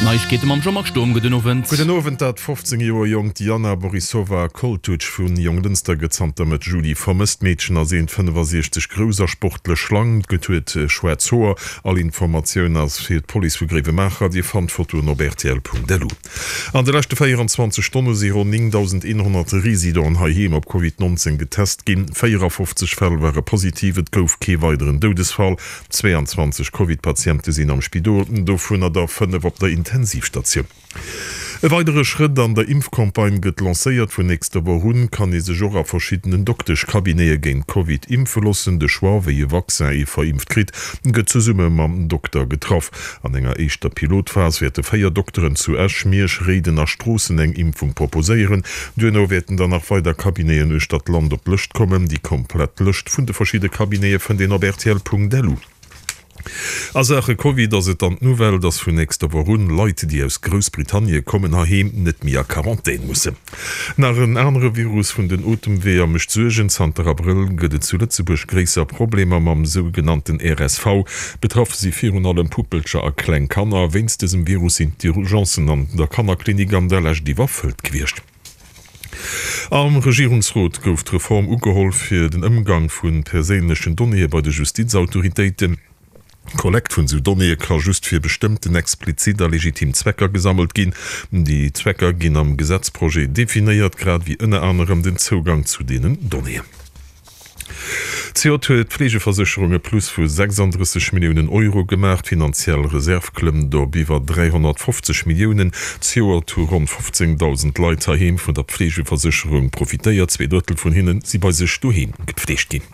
D'Neiegkeete mam Jean-Marc Sturm. Gudden Owend. Gudden Owend. Dat 15 Joer jonkt Jana Borisova Koltuc vu Jonglënster gëtt zanter Mëtt Juli vermësst. D'Meedchen ass 1,65 grouss a sportlech schlank, huet schwaarz Hoer. All Informatioun ass fir d'Police vu Gréiwemaacher. Dir fannt d'Fotoen op rtl.lu. An de leschte 24 Stonne si ronn 9.100 Residenten heiheem op Covid 19 getest ginn. 54 Fäll ware positiv, et gouf kee weideren Doudesfall. 22 Covid-Patiente sinn am Spidol, dovunner der 5 op der Intensivstatioun. E weidere Schrëtt an der Impfcampagne gëtt lancéiert. Vun nächster Woch un kann ee sech och a verschiddenen Dokteschcabinete géint Covid impfe loossen. De Choix, wéi e Vaccin ee verimpft kritt, gëtt zesumme mam Dokter getraff. An enger éischter Pilotphas wäerte 4 Dokteren zu Esch, Miersch, Réiden a Stroossen eng Impfung proposéieren. Duerno wäerten dann nach weider Cabineten uechter d'Land op d'Lëscht kommen. Déi komplett Lëscht vun de verschidde Cabinete fënnt een op rtl.lu. A Saache Covid ass et dann d'Nouvelle, dass vun nächster Woch un Leit, déi aus Groussbritannie kommen, heiheem net méi a Quarantän mussen. Nach en anere Virus vun den Otemweeër mécht Suergen. Zanter Abrëll gëtt et zu Lëtzebuerg gréisser Problemer mam sougenannten RSV. Betraff si virun allem Puppelcher a kleng Kanner. Wéinst dësem Virus sinn d'Urgencen an der Kannerklinik an der Lescht iwwerfëllt gewiescht. Am Regierungsrot gouf d'Reform ugeholl fir den Ëmgang vu perséinlechen Donnéeë bei de Justizautoritéiten. D'Kollekt vun esou Donnéeë ka just fir bestëmmten explizit a legitim Zwecker gesammelt ginn. Déi Zwecker ginn am Gesetzprojet definéiert, grad ewéi ënner anerem den Zougang zu deenen Donnéeën. Zejoert huet d'Fleegeversécherung e Plus vu 36 Milliounen Euro gemaach. D'finanziell Reserv klëmmt op iwwer 350 Milliounen. Zejoert hu ronn 15.000 Leit heiheem vun der Pflegeversécherung profitéiert. Zweedrëttel vun hinne si bei sech doheem gepfleegt ginn.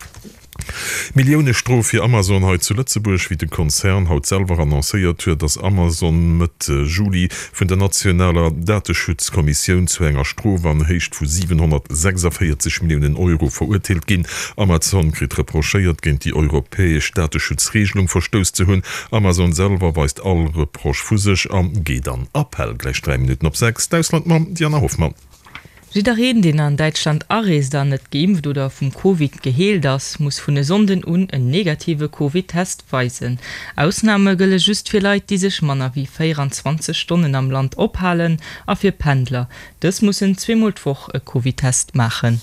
Millioune-Strof fir Amazon hei zu Lëtzebuerg. Wéi de Konzern haut selwer annoncéiert huet, ass Amazon Mëtt Juli vun der nationaler Dateschutzkommissioun zu enger Strof an Héicht vu 746 Milliounen Euro verurteelt ginn. Amazon kritt reprochéiert, géint déi europäesch Dateschutzregelung verstouss ze hunn. Amazon selwer weist all Reproche vu sech a geet an Appell. Gläich 3 Minutten op 6, d'Ausland mam Diana Hoffmann. Jiddereen, deen an Däitschland areest an net geimpft oder vum Covid geheelt ass, muss vun e Sonnden un en negative Covid-Test weisen. Ausname gëlle just fir Leit, déi sech manner wéi 24 Stonnen am Land ophalen a fir Pendler. Dës mussen zweemol d'Woch e Covid-Test maachen.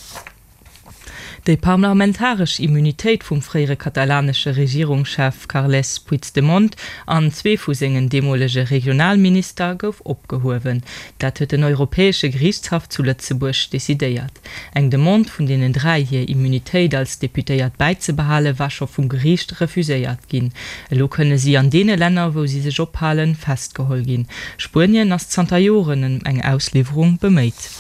Déi parlamentaresch Immunitéit vum fréiere katalanesche Regierungschef Carles Puigdemont an zwee vu sengen deemolege Regionalminister gouf opgehuewen. Dat huet den Europäesche Geriichtshaff zu Lëtzebuerg decidéiert. Eng Demande vun deenen 3, hir Immunitéit als Deputéiert bäizebehale war scho vum Geriicht refuséiert ginn. Elo kënne si an deene Länner, wou si sech ophalen, festgeholl ginn. Spuenien ass zanter Joren ëm eng Ausliwwerung beméit.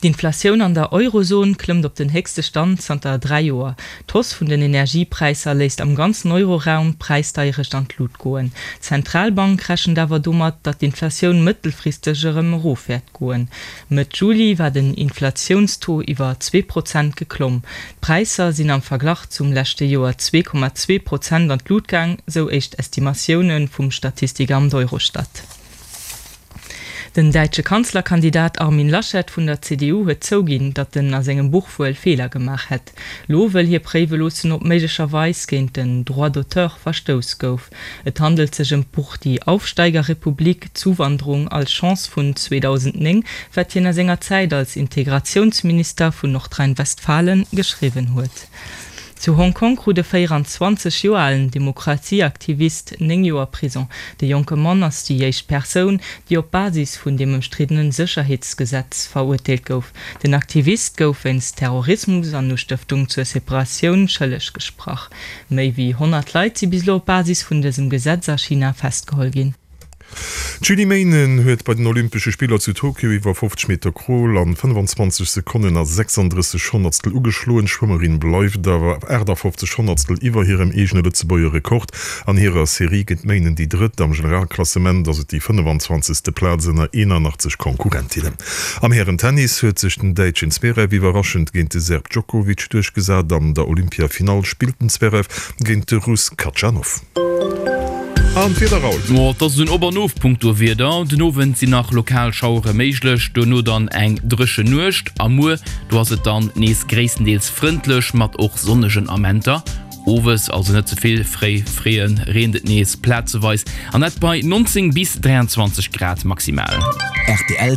D'Inflatioun an der Eurozon klëmmt op den héchste Stand zanter 3 Joer. D'Hausse vun den Energiepräisser léisst am ganzen Euroraum d'Präisdeierecht an d'Lut goen. D'Zentralbank rechent awer domat, datt d'Inflatioun mëttelfristeg erëm erof wäert goen. Mëtt Juli war den Inflatiounstaux iwwer 2 Prozent geklomm. D'Präisser sinn am Verglach zum leschte Joer 2,2 Prozent an d'Lut gaang, sou éischt Estimatioune vum Statistikamt Eurostat. Den däitsche Kanzlerkandidat Armin Laschet vun der CDU huet zouginn, datt en a sengem Buch wuel Feeler gemaach hätt. Lo wëll hie préiwe loossen, ob méiglecherweis géint den Droit d'auteur verstouss gouf. Et handelt sech ëm d'Buch Die Aufsteigerrepublik, Zuwanderung als Chance vun 2009, wat hien a senger Zäit als Integratiounsminister vun Nordrhein-Westfalen geschriwwen huet. Zu Hong Kong krut e 24 Joer alen Demokratieaktivist 9 Joer Prison. De jonke Mann ass déi éischt Persoun, déi op Basis vun deem ëmstriddene Sécherheetsgesetz verurteelt gouf. Den Aktivist gouf wéinst Terrorismus an Ustëftung zur Separatioun schëlleg gesprach. Méi wéi 100 Leit si bis elo op Basis vun dësem Gesetz a China festgeholl ginn. D'Julie Meynen huet bei den Olympesche Spiller zu Tokio iwwer 50 Meter Crawl an 25 Sekonnen a 36 Honnertstel ugeschloen. D'Schwëmmerin bleift awer 58 Honnertstel iwwer hirem eegene Lëtzebuerger Rekord. An hirer Serie gëtt d'Meynen déi Drëtt, am Generalklassement ass et déi 25. Plaz ënner 81 Konkurrentinnen. Am Hären-Tennis huet sech den Däitschen Zverev iwwerraschend géint de Serb Djokovic duerchgesat. An der Olympia-Finall spillt den Zverev géint de Russ Khachanov. An d'Wieder haut? Jo, et ass en Op an Of punkto Wieder. Den Owend sinn nach lokal Schauere méiglech, duerno dann eng dréchen Nuecht a muer, do ass et dann nees gréisstendeels frëndlech mat och sonnegen Amenter. Owes, also net ze vill fréi freeën, reent et nees plazeweis an dat bei 19 bis 23 Grad maximal. Rtl.